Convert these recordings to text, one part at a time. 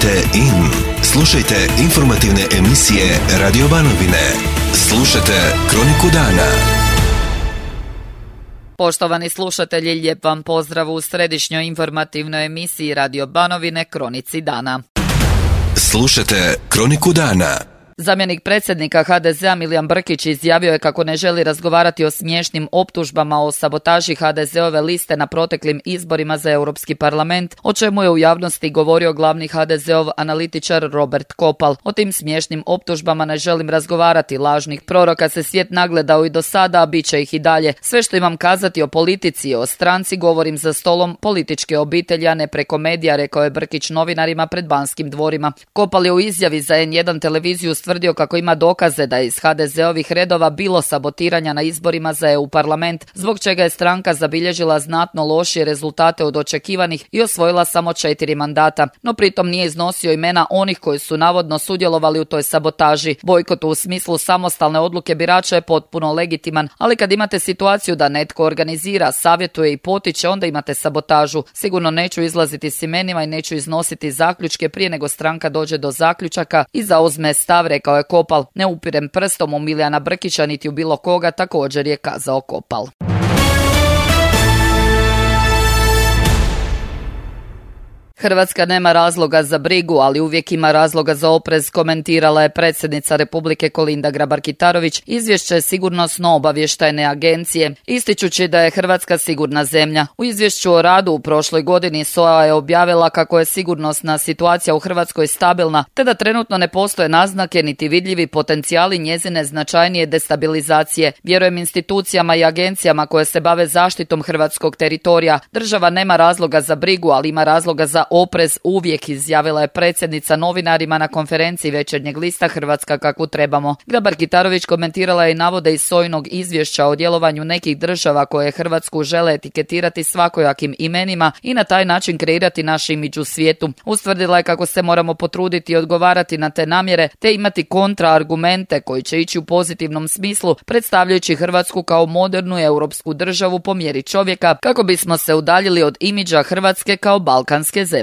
Kliknite in. Slušajte informativne emisije Radio Banovine. Slušajte Kroniku dana. Poštovani slušatelji, lijep vam pozdrav u središnjoj informativnoj emisiji Radio Banovine Kronici dana. Slušajte Kroniku dana. Zamjenik predsjednika HDZ-a Milijan Brkić izjavio je kako ne želi razgovarati o smiješnim optužbama o sabotaži HDZ-ove liste na proteklim izborima za Europski parlament, o čemu je u javnosti govorio glavni HDZ-ov analitičar Robert Kopal. O tim smiješnim optužbama ne želim razgovarati, lažnih proroka se svijet nagledao i do sada, a bit će ih i dalje. Sve što imam kazati o politici i o stranci govorim za stolom političke obitelji, a ne preko medija, rekao je Brkić novinarima pred Banskim dvorima. Kopal je u izjavi za N1 televiziju tvrdio kako ima dokaze da je iz HDZ-ovih redova bilo sabotiranja na izborima za EU parlament, zbog čega je stranka zabilježila znatno lošije rezultate od očekivanih i osvojila samo 4 mandata. No pritom nije iznosio imena onih koji su navodno sudjelovali u toj sabotaži. Bojkot u smislu samostalne odluke birača je potpuno legitiman, ali kad imate situaciju da netko organizira, savjetuje i potiče, onda imate sabotažu. Sigurno neću izlaziti s imenima i neću iznositi zaključke prije nego stranka dođe do zaključaka i zauzme stav, rekao je Kopal. Ne upirem prstom u Milijana Brkića niti u bilo koga, također je kazao Kopal. Hrvatska nema razloga za brigu, ali uvijek ima razloga za oprez, komentirala je predsjednica Republike Kolinda Grabar-Kitarović izvješće Sigurnosno-obavještajne agencije, ističući da je Hrvatska sigurna zemlja. U izvješću o radu u prošloj godini SOA je objavila kako je sigurnosna situacija u Hrvatskoj stabilna, te da trenutno ne postoje naznake niti vidljivi potencijali njezine značajnije destabilizacije. Vjerujem institucijama i agencijama koje se bave zaštitom hrvatskog teritorija. Država nema razloga za brigu, ali ima razloga za oprez uvijek, izjavila je predsjednica novinarima na konferenciji Večernjeg lista Hrvatska kakvu trebamo. Grabar-Kitarović komentirala je i navode iz SOA-inog izvješća o djelovanju nekih država koje Hrvatsku žele etiketirati svakojakim imenima i na taj način kreirati naš imidž u svijetu. Ustvrdila je kako se moramo potruditi i odgovarati na te namjere, te imati kontraargumente koji će ići u pozitivnom smislu, predstavljajući Hrvatsku kao modernu europsku državu po mjeri čovjeka, kako bismo se udaljili od imidža Hrvatske kao balkanske zemlje.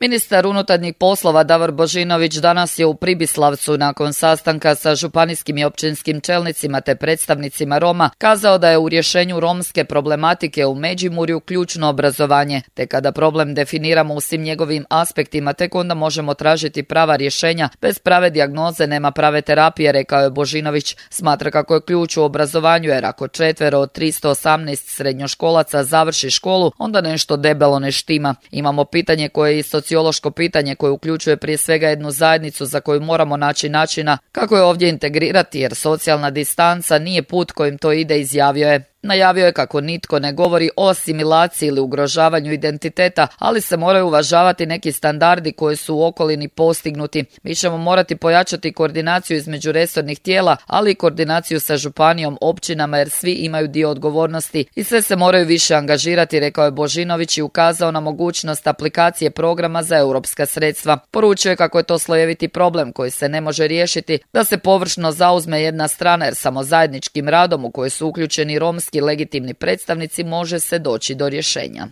Ministar unutarnjih poslova Davor Božinović danas je u Pribislavcu nakon sastanka sa županijskim i općinskim čelnicima te predstavnicima Roma kazao da je u rješenju romske problematike u Međimurju ključno obrazovanje, te kada problem definiramo u svim njegovim aspektima, tek onda možemo tražiti prava rješenja. Bez prave dijagnoze nema prave terapije, rekao je Božinović. Smatra kako je ključ u obrazovanju, jer ako 4 od 318 srednjoškolaca završi školu, onda nešto debelo ne štima. Imamo pitanje koje je sociološko pitanje koje uključuje prije svega jednu zajednicu za koju moramo naći načina kako je ovdje integrirati, jer socijalna distanca nije put kojim to ide, izjavio je. Najavio je kako nitko ne govori o asimilaciji ili ugrožavanju identiteta, ali se moraju uvažavati neki standardi koji su u okolini postignuti. Mi ćemo morati pojačati koordinaciju između resornih tijela, ali i koordinaciju sa županijom, općinama, jer svi imaju dio odgovornosti i sve se moraju više angažirati, rekao je Božinović i ukazao na mogućnost aplikacije programa za europska sredstva. Poručio je kako je to slojeviti problem koji se ne može riješiti, da se površno zauzme jedna strana, jer samo zajedničkim radom u koji su uključeni romski legitimni predstavnici može se doći do rješenja.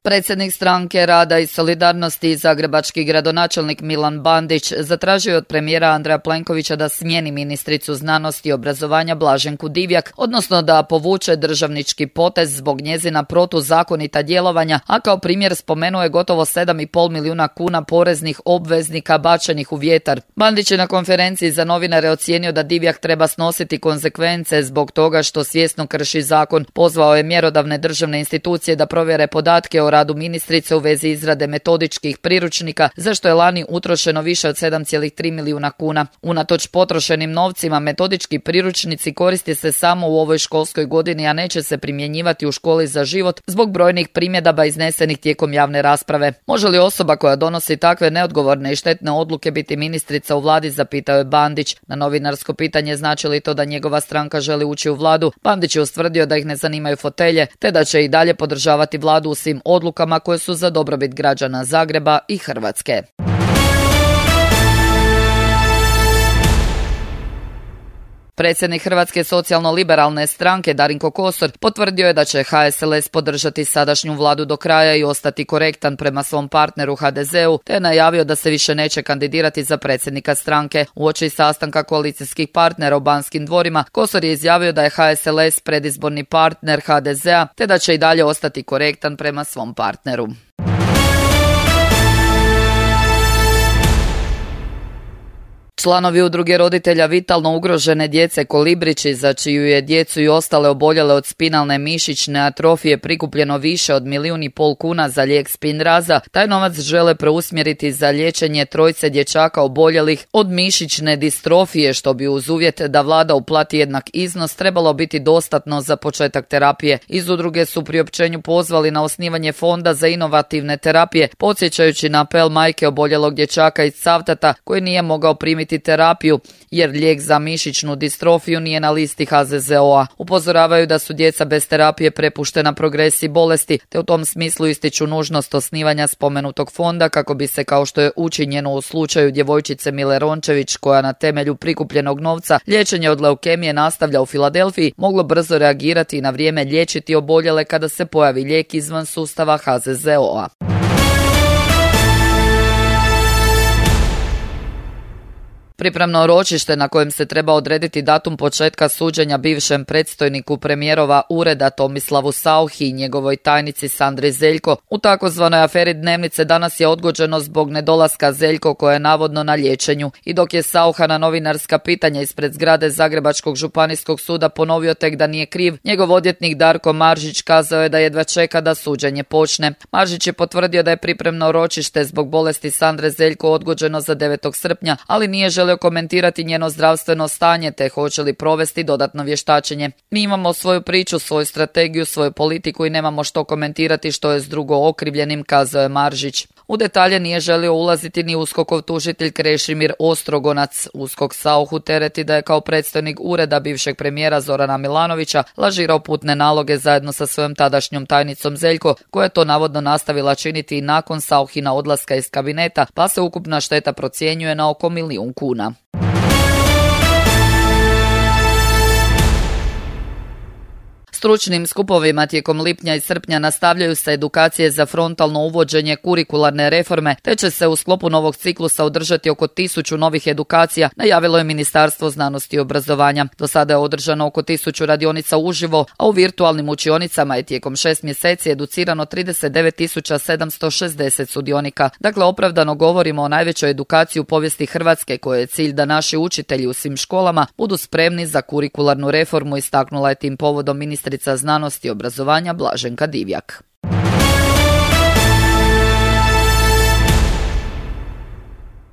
Predsjednik stranke Rada i solidarnosti i zagrebački gradonačelnik Milan Bandić zatražio je od premijera Andreja Plenkovića da smijeni ministricu znanosti i obrazovanja Blaženku Divjak, odnosno da povuče državnički potez zbog njezina protuzakonita djelovanja, a kao primjer spomenuo je gotovo 7,5 milijuna kuna poreznih obveznika bačenih u vjetar. Bandić je na konferenciji za novinare ocijenio da Divjak treba snositi konsekvence zbog toga što svjesno krši zakon. Pozvao je mjerodavne državne institucije da provjere podatke o radu ministrice u vezi izrade metodičkih priručnika, za što je lani utrošeno više od 7,3 milijuna kuna. Unatoč potrošenim novcima, metodički priručnici koriste se samo u ovoj školskoj godini, a neće se primjenjivati u školi za život zbog brojnih primjedaba iznesenih tijekom javne rasprave. Može li osoba koja donosi takve neodgovorne i štetne odluke biti ministrica u vladi, zapitao je Bandić. Na novinarsko pitanje znači li to da njegova stranka želi ući u vladu, Bandić je ustvrdio da ih ne zanimaju fotelje, te da će i dalje podržavati vladu u svim odlukama koje su za dobrobit građana Zagreba i Hrvatske. Predsjednik Hrvatske socijalno-liberalne stranke Darinko Kosor potvrdio je da će HSLS podržati sadašnju vladu do kraja i ostati korektan prema svom partneru HDZ-u, te je najavio da se više neće kandidirati za predsjednika stranke. Uoči sastanka koalicijskih partnera u Banskim dvorima, Kosor je izjavio da je HSLS predizborni partner HDZ-a, te da će i dalje ostati korektan prema svom partneru. Članovi udruge roditelja vitalno ugrožene djece Kolibrići, za čiju je djecu i ostale oboljele od spinalne mišićne atrofije prikupljeno više od 1,5 milijuna kuna za lijek Spinraza, taj novac žele preusmjeriti za liječenje 3 dječaka oboljelih od mišićne distrofije, što bi uz uvjet da vlada uplati jednak iznos trebalo biti dostatno za početak terapije. Iz udruge su priopćenju pozvali na osnivanje fonda za inovativne terapije, podsjećajući na apel majke oboljelog dječaka iz Cavtata koji nije mogao primiti terapiju jer lijek za mišićnu distrofiju nije na listi HZZO-a. Upozoravaju da su djeca bez terapije prepuštena progresiji bolesti, te u tom smislu ističu nužnost osnivanja spomenutog fonda kako bi se, kao što je učinjeno u slučaju djevojčice Mile Rončević, koja na temelju prikupljenog novca liječenje od leukemije nastavlja u Filadelfiji, moglo brzo reagirati i na vrijeme liječiti oboljele kada se pojavi lijek izvan sustava HZZO-a. Pripremno ročište na kojem se treba odrediti datum početka suđenja bivšem predstojniku premijerova ureda Tomislavu Sauchi i njegovoj tajnici Sandri Zeljko u takozvanoj aferi Dnevnice danas je odgođeno zbog nedolaska Zeljko, koja je navodno na liječenju. I dok je Saucha na novinarska pitanja ispred zgrade Zagrebačkog županijskog suda ponovio tek da nije kriv, njegov odvjetnik Darko Maržić kazao je da jedva čeka da suđenje počne. Maržić je potvrdio da je pripremno ročište zbog bolesti Sandre Zeljko odgođeno za 9. srpnja, ali nije želio komentirati njeno zdravstveno stanje te hoće li provesti dodatno vještačenje. Mi imamo svoju priču, svoju strategiju, svoju politiku i nemamo što komentirati što je s drugo okrivljenim, kazao je Maržić. U detalje nije želio ulaziti ni USKOK-ov tužitelj Krešimir Ostrogonac. USKOK Sauchu tereti da je kao predstojnik ureda bivšeg premijera Zorana Milanovića lažirao putne naloge zajedno sa svojom tadašnjom tajnicom Zeljko, koja je to navodno nastavila činiti i nakon Sauchina odlaska iz kabineta, pa se ukupna šteta procjenjuje na oko 1 milijun kuna. Stručnim skupovima tijekom lipnja i srpnja nastavljaju se edukacije za frontalno uvođenje kurikularne reforme, te će se u sklopu novog ciklusa održati oko 1000 novih edukacija, najavilo je Ministarstvo znanosti i obrazovanja. Do sada je održano oko 1000 radionica uživo, a u virtualnim učionicama je tijekom 6 mjeseci educirano 39.760 sudionika. Dakle, opravdano govorimo o najvećoj edukaciji u povijesti Hrvatske, koje je cilj da naši učitelji u svim školama budu spremni za kurikularnu reformu, istaknula je tim povodom ministrica znanosti i obrazovanja Blaženka Divjak.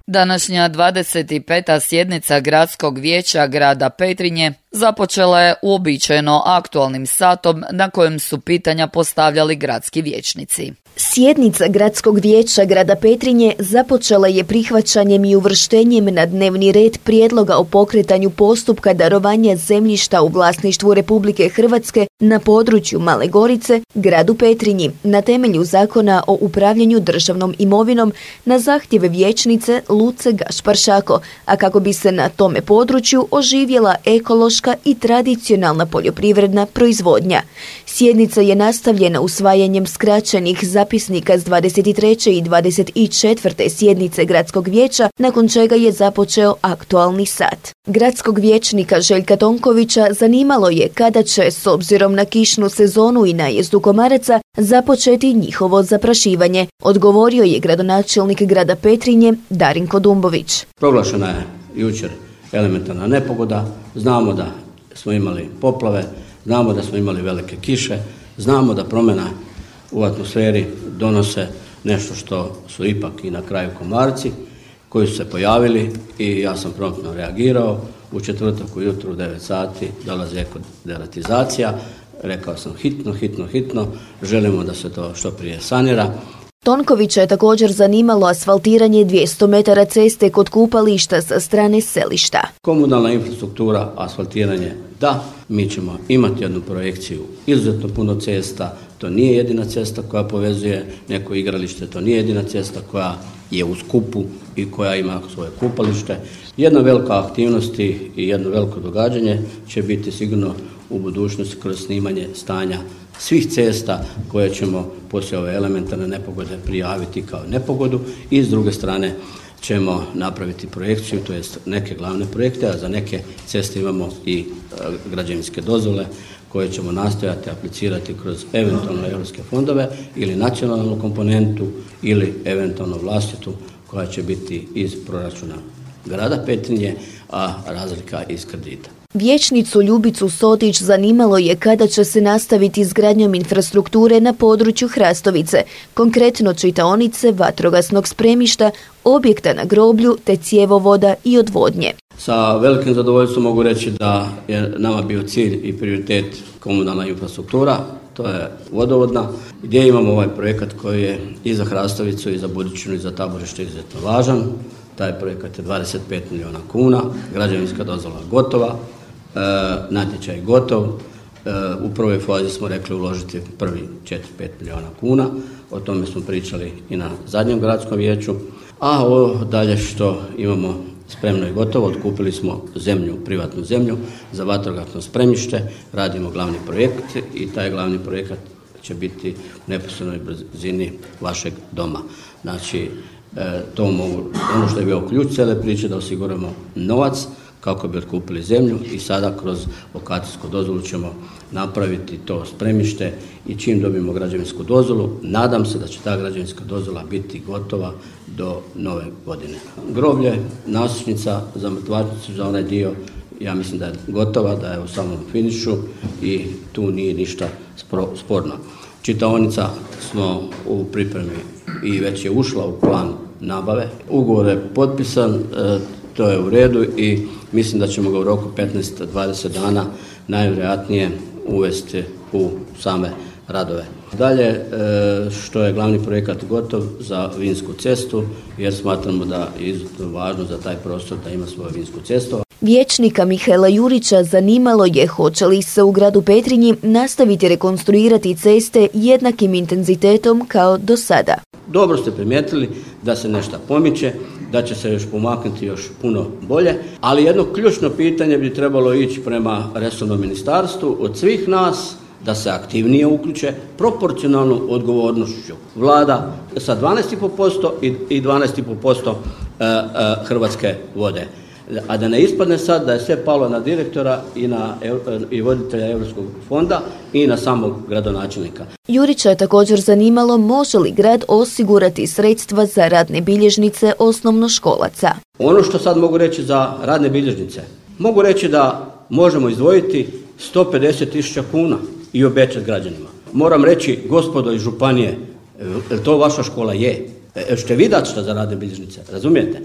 Današnja 25. sjednica Gradskog vijeća grada Petrinje započela je uobičajeno aktualnim satom na kojem su pitanja postavljali gradski vijećnici. Sjednica Gradskog vijeća grada Petrinje započela je prihvaćanjem i uvrštenjem na dnevni red prijedloga o pokretanju postupka darovanja zemljišta u vlasništvu Republike Hrvatske na području Male Gorice, gradu Petrinji, na temelju Zakona o upravljanju državnom imovinom na zahtjeve vijećnice Luce Gašpar-Šako, a kako bi se na tome području oživjela ekološka i tradicionalna poljoprivredna proizvodnja. Sjednica je nastavljena usvajanjem skraćenih zapisnika s 23. i 24. sjednice Gradskog vijeća, nakon čega je započeo aktualni sat. Gradskog vijećnika Željka Tonkovića zanimalo je kada će, s obzirom na kišnu sezonu i najezdu komaraca, započeti njihovo zaprašivanje. Odgovorio je gradonačelnik grada Petrinje Darinko Dumbović. Proglašena je jučer elementarna nepogoda, znamo da smo imali poplave, znamo da smo imali velike kiše, znamo da promjena u atmosferi donose nešto što su ipak i na kraju komarci koji su se pojavili i ja sam promptno reagirao. U četvrtak ujutro u 9 sati dolazi ekoderatizacija. Rekao sam hitno, želimo da se to što prije sanira. Tonkovića je također zanimalo asfaltiranje 200 metara ceste kod kupališta sa strane selišta. Komunalna infrastruktura, asfaltiranje, da, mi ćemo imati jednu projekciju, izuzetno puno cesta, to nije jedina cesta koja povezuje neko igralište, to nije jedina cesta koja je u skupu i koja ima svoje kupalište. Jedna velika aktivnost i jedno veliko događanje će biti sigurno u budućnosti kroz snimanje stanja svih cesta koje ćemo poslije ove elementarne nepogode prijaviti kao nepogodu i s druge strane ćemo napraviti projekciju, to jest neke glavne projekte, a za neke ceste imamo i građevinske dozvole koje ćemo nastojati aplicirati kroz eventualno europske fondove ili nacionalnu komponentu ili eventualno vlastitu koja će biti iz proračuna grada Petrinje, a razlika iz kredita. Vijećnicu Ljubicu Sotić zanimalo je kada će se nastaviti izgradnjom infrastrukture na području Hrastovice, konkretno čitaonice, vatrogasnog spremišta, objekta na groblju te cjevovoda i odvodnje. Sa velikim zadovoljstvom mogu reći da je nama bio cilj i prioritet komunalna infrastruktura, to je vodovodna, gdje imamo ovaj projekat koji je i za Hrastovicu i za Budičinu i za Taborište izuzetno važan. Taj projekat je 25 milijuna kuna, građevinska dozvola gotova, natječaj gotov. U prvoj fazi smo rekli uložiti prvi 4-5 milijuna kuna, o tome smo pričali i na zadnjem gradskom vijeću, a ovo dalje što imamo spremno i gotovo, otkupili smo zemlju, privatnu zemlju za vatrogasno spremište, radimo glavni projekt i taj glavni projekat će biti u neposrednoj blizini vašeg doma. Znači, ono što je bio ključ cijele priče da osiguramo novac kako bi otkupili zemlju i sada kroz lokacijsku dozvolu ćemo napraviti to spremište i čim dobijemo građevinsku dozvolu, nadam se da će ta građevinska dozvola biti gotova do nove godine. Groblje, nasušnica za mrtvačnicu, za onaj dio, ja mislim da je gotova, da je u samom finišu i tu nije ništa sporno. Čitaonica smo u pripremi i već je ušla u plan nabave. Ugovor je potpisan, to je u redu i mislim da ćemo ga u roku 15-20 dana najvjerojatnije uvesti u same radove. Dalje, što je glavni projekat gotov za vinsku cestu, jer smatramo da je izuzetno važno za taj prostor da ima svoju vinsku cestu. Vijećnika Mihaela Jurića zanimalo je hoće li se u gradu Petrinji nastaviti rekonstruirati ceste jednakim intenzitetom kao do sada. Dobro ste primijetili da se nešto pomiče, da će se još pomaknuti još puno bolje, ali jedno ključno pitanje bi trebalo ići prema resornom ministarstvu od svih nas da se aktivnije uključe proporcionalnu odgovornošću. Vlada sa 12,5% i 12,5% Hrvatske vode. A da ne ispadne sad da je sve palo na direktora i voditelja Europskog fonda i na samog gradonačelnika. Jurića je također zanimalo može li grad osigurati sredstva za radne bilježnice osnovnoškolaca. Ono što sad mogu reći za radne bilježnice, mogu reći da možemo izdvojiti 150.000 kuna i obećati građanima. Moram reći, gospodo iz županije, to vaša škola je. Ćete vidjeti šta za radne bilježnice, razumijete?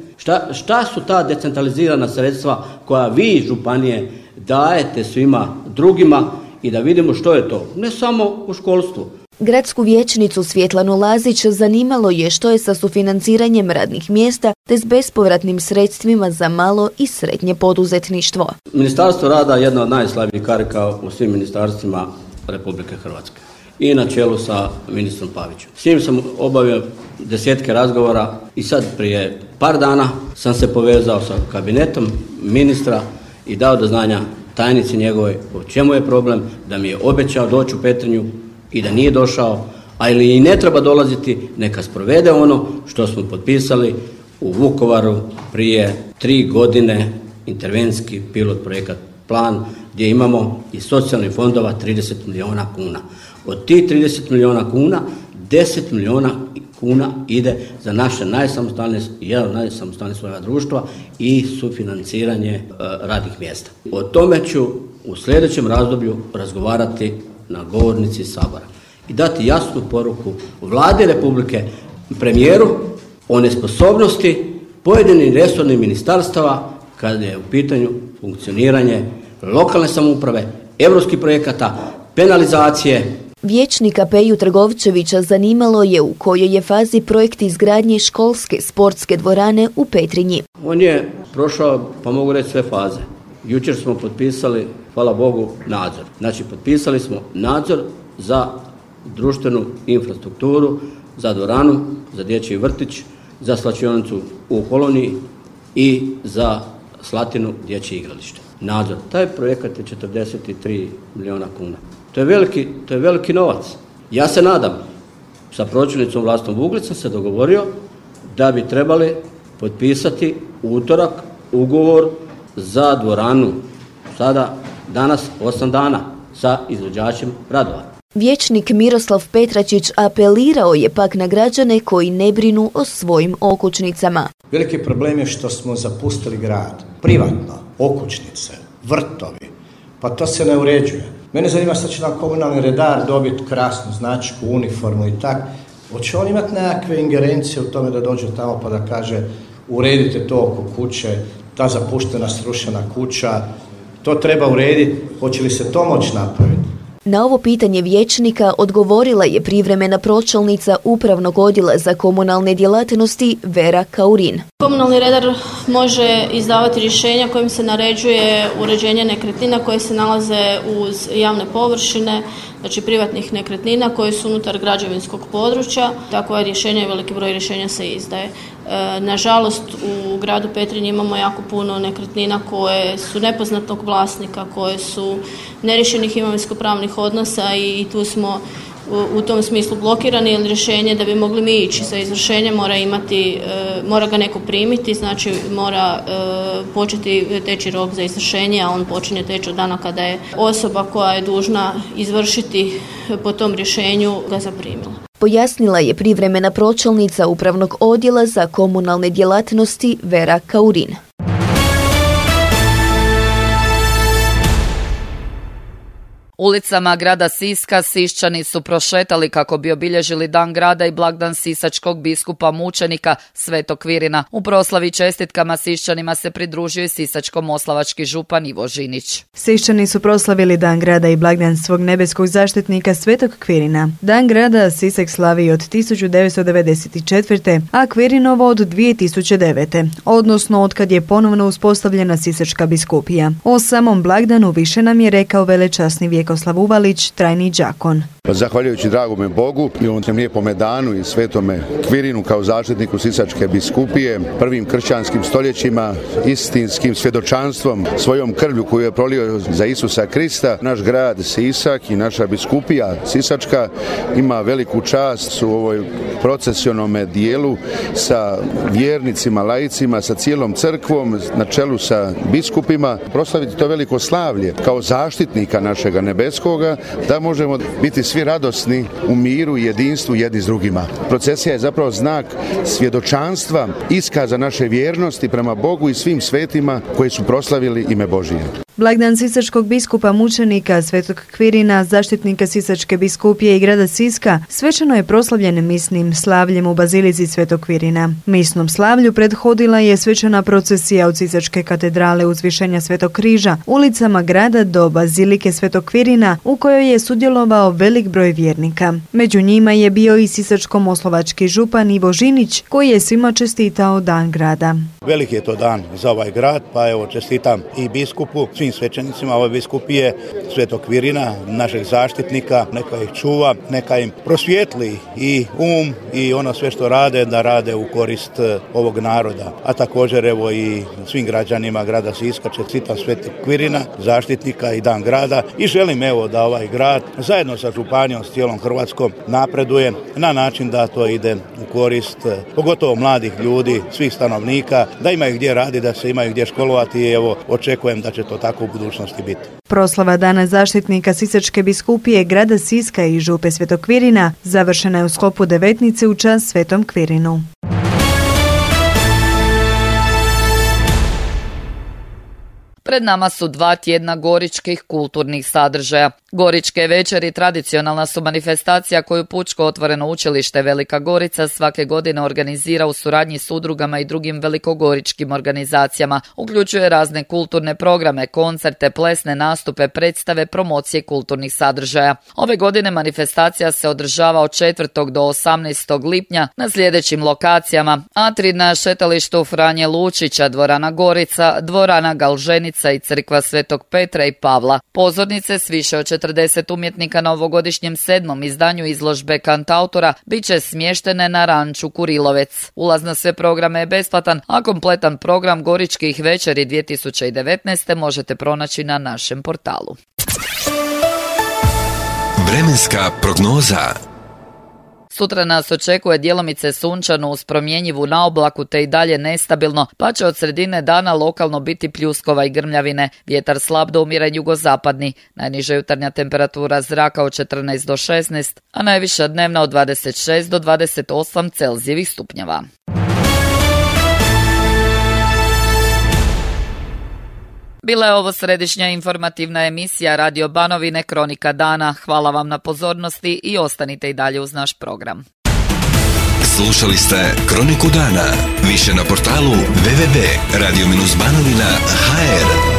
Šta su ta decentralizirana sredstva koja vi županije dajete svima drugima i da vidimo što je to, ne samo u školstvu. Gradsku vijećnicu Svjetlanu Lazić zanimalo je što je sa sufinanciranjem radnih mjesta te s bespovratnim sredstvima za malo i srednje poduzetništvo. Ministarstvo rada je jedna od najslabijih karika u svim ministarstvima Republike Hrvatske i na čelu sa ministrom Pavićem. S njim sam obavio desetke razgovora i sad prije par dana sam se povezao sa kabinetom ministra i dao do znanja tajnici njegovoj o čemu je problem, da mi je obećao doći u Petrinju i da nije došao, a ili i ne treba dolaziti, neka sprovede ono što smo potpisali u Vukovaru prije 3 godine, intervencijski pilot projekat plan, gdje imamo iz socijalnih fondova 30 milijuna kuna. Od tih 30 milijuna kuna, 10 milijuna kuna ide za naše jedan od najsamostalnijih slojeva društva i sufinanciranje radnih mjesta. O tome ću u sljedećem razdoblju razgovarati na govornici Sabora i dati jasnu poruku Vladi Republike, premijeru o nesposobnosti pojedinih resornih ministarstava kada je u pitanju funkcioniranje lokalne samouprave, europskih projekata, penalizacije. Vijećnika Peju Trgovčevića zanimalo je u kojoj je fazi projekt izgradnje školske sportske dvorane u Petrinji. On je prošao, pa mogu reći, sve faze. Jučer smo potpisali, hvala Bogu, nadzor. Znači, potpisali smo nadzor za društvenu infrastrukturu, za dvoranu, za dječji vrtić, za slačionicu u Koloniji i za Slatinu dječje igralište. Nadzor. Taj projekat je 43 milijuna kuna. To je veliki novac. Ja se nadam, sa pročelnicom Vlastom Vuglicom se dogovorio da bi trebali potpisati utorak ugovor za dvoranu danas 8 dana sa izvođačem radova. Vijećnik Miroslav Petračić apelirao je pak na građane koji ne brinu o svojim okućnicama. Veliki problem je što smo zapustili grad. Privatno, okućnice, vrtovi, pa to se ne uređuje. Mene zanima sad će nam komunalni redar dobiti krasnu značku, uniformu i tak. Hoće on imati nekakve ingerencije u tome da dođe tamo pa da kaže uredite to oko kuće, ta zapuštena srušena kuća, to treba urediti, hoće li se to moći napraviti? Na ovo pitanje vijećnika odgovorila je privremena pročelnica Upravnog odjela za komunalne djelatnosti Vera Kaurin. Komunalni redar može izdavati rješenja kojim se naređuje uređenje nekretnina koje se nalaze uz javne površine, znači privatnih nekretnina koje su unutar građevinskog područja. Takvo je rješenje i veliki broj rješenja se izdaje. Nažalost, u gradu Petrinji imamo jako puno nekretnina koje su nepoznatog vlasnika, koje su neriješenih imovinsko-pravnih odnosa i tu smo u tom smislu blokirani, jer rješenje da bi mogli mi ići za izvršenje mora ga neko primiti, znači mora početi teći rok za izvršenje, a on počinje teći od dana kada je osoba koja je dužna izvršiti po tom rješenju ga zaprimila. Pojasnila je privremena pročelnica Upravnog odjela za komunalne djelatnosti Vera Kaurin. Ulicama grada Siska Siščani su prošetali kako bi obilježili Dan grada i blagdan sisačkog biskupa mučenika Svetog Kvirina. U proslavi čestitkama Siščanima se pridružio i sisačko-moslavački župan Ivo Žinić. Siščani su proslavili Dan grada i blagdan svog nebeskog zaštitnika Svetog Kvirina. Dan grada Sisak slavi od 1994. a Kvirinovo od 2009. odnosno od kad je ponovno uspostavljena sisačka biskupija. O samom blagdanu više nam je rekao velečasni Vjekoslav Uvalić, trajni đakon. Zahvaljujući dragome Bogu i ovom lijepome danu i Svetome Kvirinu kao zaštitniku sisačke biskupije, prvim kršćanskim stoljećima, istinskim svjedočanstvom, svojom krvlju koju je prolio za Isusa Krista, naš grad Sisak i naša biskupija sisačka ima veliku čast u ovoj procesionome dijelu sa vjernicima, laicima, sa cijelom crkvom, na čelu sa biskupima, proslaviti to veliko slavlje kao zaštitnika našega nebeskoga, da možemo biti svi radosni u miru i jedinstvu jedni s drugima. Procesija je zapravo znak svjedočanstva, iskaza naše vjernosti prema Bogu i svim svetima koji su proslavili ime Božije. Blagdan sisačkog biskupa mučenika Svetog Kvirina, zaštitnika sisačke biskupije i grada Siska, svečano je proslavljen misnim slavljem u bazilici Svetog Kvirina. Misnom slavlju prethodila je svečana procesija od Sisačke katedrale Uzvišenja Svetog Križa ulicama grada do bazilike Svetog Kvirina, u kojoj je sudjelovao velik broj vjernika. Među njima je bio i sisačko-moslavački župan Ivo Žinić, koji je svima čestitao Dan grada. Veliki je to dan za ovaj grad, pa evo čestitam i biskupu, svim svećenicima ove biskupije Svetog Kvirina, našeg zaštitnika, neka ih čuva, neka im prosvijetli i i ono sve što rade, da rade u korist ovog naroda. A također evo i svim građanima grada Siska čestitam Svetog Kvirina, zaštitnika i Dan grada i želim evo da ovaj grad zajedno sa županijom, s cijelom Hrvatskom napreduje na način da to ide u korist pogotovo mladih ljudi, svih stanovnika, da imaju gdje raditi, da se imaju gdje školovati i evo očekujem da će to tako u budućnosti biti. Proslava Dana zaštitnika Sisačke biskupije grada Siska i župe Svetog Kvirina završena je u sklopu devetnice u čast Svetom Kvirinu. Pred nama su 2 tjedna goričkih kulturnih sadržaja. Goričke večeri tradicionalna su manifestacija koju Pučko otvoreno učilište Velika Gorica svake godine organizira u suradnji s udrugama i drugim velikogoričkim organizacijama. Uključuje razne kulturne programe, koncerte, plesne nastupe, predstave, promocije kulturnih sadržaja. Ove godine manifestacija se održava od 4. do 18. lipnja na sljedećim lokacijama: Atrij na šetalištu Franje Lučića, dvorana Gorica, dvorana Galženica, bolnica i crkva Svetog Petra i Pavla. Pozornice s više od 40 umjetnika na ovogodišnjem 7. izdanju izložbe Kantautora bit će smještene na ranču Kurilovec. Ulaz na sve programe je besplatan, a kompletan program Goričkih večeri 2019. možete pronaći na našem portalu. Vremenska prognoza. Sutra nas očekuje djelomice sunčano uz promjenjivu naoblaku te i dalje nestabilno, pa će od sredine dana lokalno biti pljuskova i grmljavine. Vjetar slab do umjeren jugozapadni, najniža jutarnja temperatura zraka od 14 do 16, a najviša dnevna od 26 do 28 Celzijevih stupnjeva. Bila je ovo središnja informativna emisija Radio Banovine Kronika dana. Hvala vam na pozornosti i ostanite i dalje uz naš program. Slušali ste Kroniku dana. Više na portalu www.radio-banovina.hr.